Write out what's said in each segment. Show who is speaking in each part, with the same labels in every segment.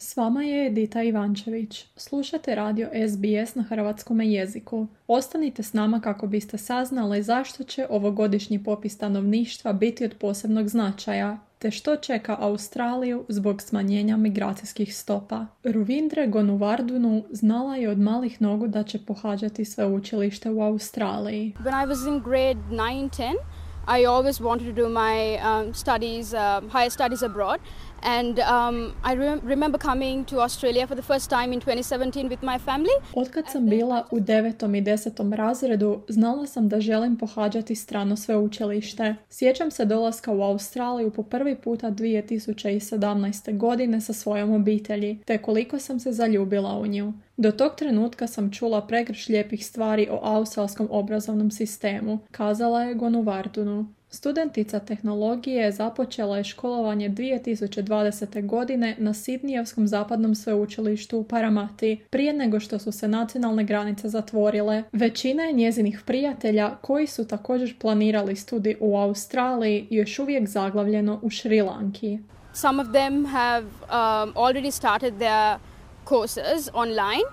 Speaker 1: S vama je Edita Ivančević. Slušate radio SBS na hrvatskome jeziku. Ostanite s nama kako biste saznali zašto će ovogodišnji popis stanovništva biti od posebnog značaja, te što čeka Australiju zbog smanjenja migracijskih stopa. Ravindra Gonuvardhenu znala je od malih nogu da će pohađati sveučilište u Australiji.
Speaker 2: When I was in grade 9, 10, I always wanted to do my higher studies abroad. And I remember coming to Australia for the first time in 2017 with my family.
Speaker 1: Otkad sam bila u 9. i 10. razredu, znala sam da želim pohađati strano sveučilište. Sjećam se dolaska u Australiju po prvi puta 2017. godine sa svojom obitelji, te koliko sam se zaljubila u nju. Do tog trenutka sam čula pregršt lijepih stvari o australskom obrazovnom sistemu, kazala je Gonuvardhenu. Studentica tehnologije započela je školovanje 2020. godine na Sidnijevskom zapadnom sveučilištu u Paramati, prije nego što su se nacionalne granice zatvorile. Većina je njezinih prijatelja koji su također planirali studij u Australiji još uvijek zaglavljeno u Šri Lanki.
Speaker 2: Some of them have already started their courses online,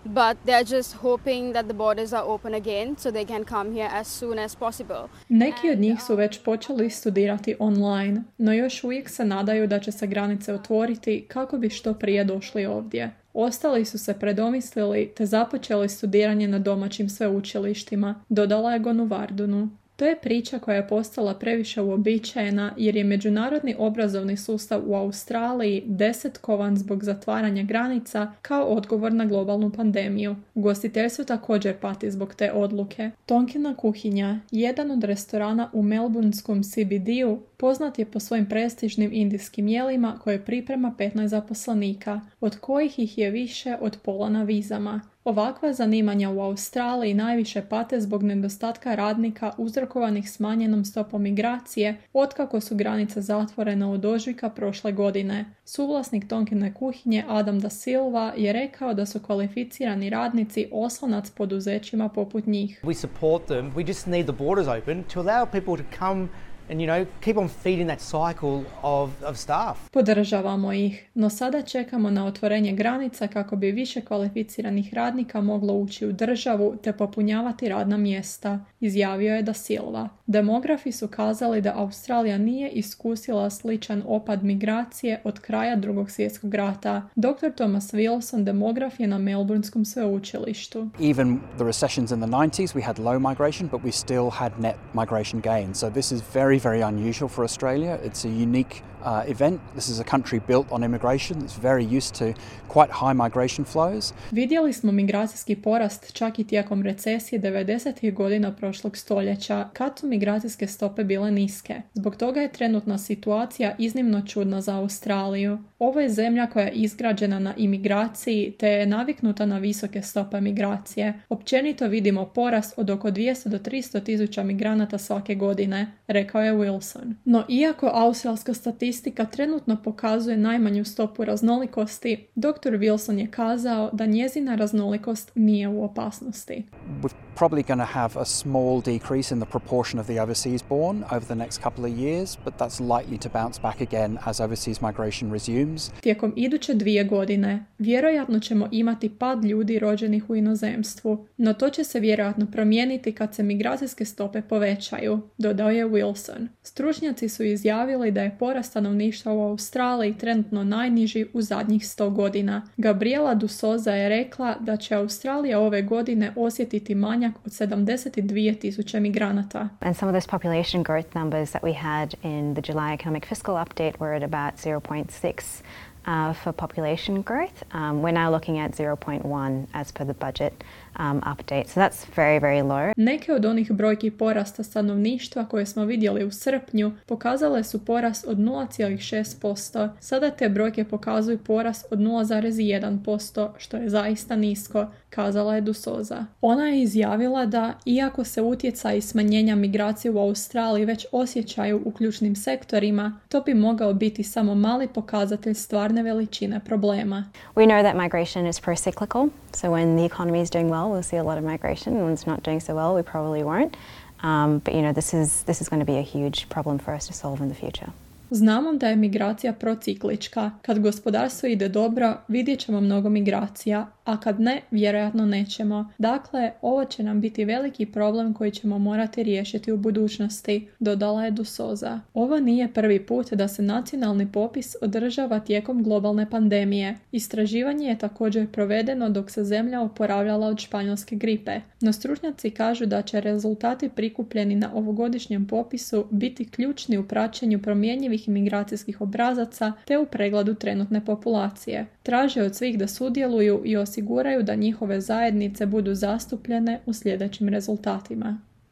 Speaker 2: but they're just hoping that the borders are open again so they can come here as soon as possible.
Speaker 1: Neki od njih su već počeli studirati online, no još uvijek se nadaju da će se granice otvoriti kako bi što prije došli ovdje. Ostali su se predomislili te započeli studiranje na domaćim sveučilištima, dodala je Gonuvardhenu. To je priča koja je postala previše uobičajena jer je međunarodni obrazovni sustav u Australiji desetkovan zbog zatvaranja granica kao odgovor na globalnu pandemiju. Ugostiteljstvo također pati zbog te odluke. Tonkina kuhinja, jedan od restorana u melbourneskom CBD-u, poznat je po svojim prestižnim indijskim jelima koje priprema 15 zaposlenika, od kojih ih je više od pola na vizama. Ovakva zanimanja u Australiji najviše pate zbog nedostatka radnika uzrokovanih smanjenom stopom migracije otkako su granice zatvorene od ožujka prošle godine. Suvlasnik Tonkine kuhinje Adam Da Silva je rekao da su kvalificirani radnici oslonac poduzećima poput njih.
Speaker 3: We support them. We just need the borders open to allow people to come and, keep on feeding that cycle of staff.
Speaker 1: Podržavamo ih, no sada čekamo na otvorenje granica kako bi više kvalificiranih radnika moglo ući u državu te popunjavati radna mjesta, izjavio je Da Silva. Demografi su kazali da Australija nije iskusila sličan opad migracije od kraja Drugog svjetskog rata. Dr. Thomas Wilson, demograf, je na Melbourneskom sveučilištu.
Speaker 4: Even the recessions in the 90s, we had low migration, but we still had net migration gain. So this is very unusual for Australia. It's a unique event. This is a country built on immigration. It's very used to quite high migration flows.
Speaker 1: Vidjeli smo migracijski porast čak i tijekom recesije 90. godina prošlog stoljeća, kad su migracijske stope bile niske. Zbog toga je trenutna situacija iznimno čudna za Australiju. Ovo je zemlja koja je izgrađena na imigraciji te je naviknuta na visoke stope migracije. Općenito vidimo porast od oko 200 do 300 tisuća migranata svake godine, rekao je Wilson. No iako australska statistika trenutno pokazuje najmanju stopu raznolikosti, dr. Wilson je kazao da njezina raznolikost nije u opasnosti.
Speaker 4: We're probably going to have a small decrease in the proportion of the overseas born over the next couple of years, but that's likely to bounce back again as overseas migration resumes.
Speaker 1: Tijekom iduće 2 godine vjerojatno ćemo imati pad ljudi rođenih u inozemstvu, no to će se vjerojatno promijeniti kad se migracijske stope povećaju, dodao je Wilson. Stručnjaci su izjavili da je porast stanovništva u Australiji trenutno najniži u zadnjih 100 godina. Gabriela D'Souza je rekla da će Australija ove godine osjetiti manjak od 72,000 migranata.
Speaker 5: And some of those population growth numbers that we had in the July economic fiscal update were at about 0.6 for population growth. We're now looking at 0.1 as per the budget update. So that's very low.
Speaker 1: Neke od onih brojki porasta stanovništva koje smo vidjeli u srpnju pokazale su porast od 0,6%. Sada te brojke pokazuju porast od 0,1%, što je zaista nisko, kazala je D'Souza. Ona je izjavila da, iako se utjecaj smanjenja migracije u Australiji već osjećaju u ključnim sektorima, to bi mogao biti samo mali pokazatelj stvarne veličine problema.
Speaker 5: We know that migration is pro-cyclical, so when the economy is doing well, we'll see a lot of migration. When it's not doing so well, we probably won't. But this is going to be a huge problem for us to solve in the future.
Speaker 1: Znamo da je migracija prociklička. Kad gospodarstvo ide dobro, vidjet ćemo mnogo migracija, a kad ne, vjerojatno nećemo. Dakle, ovo će nam biti veliki problem koji ćemo morati riješiti u budućnosti, dodala je D'Souza. Ovo nije prvi put da se nacionalni popis održava tijekom globalne pandemije. Istraživanje je također provedeno dok se zemlja oporavljala od španjolske gripe. No stručnjaci kažu da će rezultati prikupljeni na ovogodišnjem popisu biti ključni u praćenju promjenjivih imigracijskih obrazaca te u pregledu trenutne populacije. Traže od svih da sudjeluju i osiguraju da njihove zajednice budu zastupljene u sljedećim rezultatima.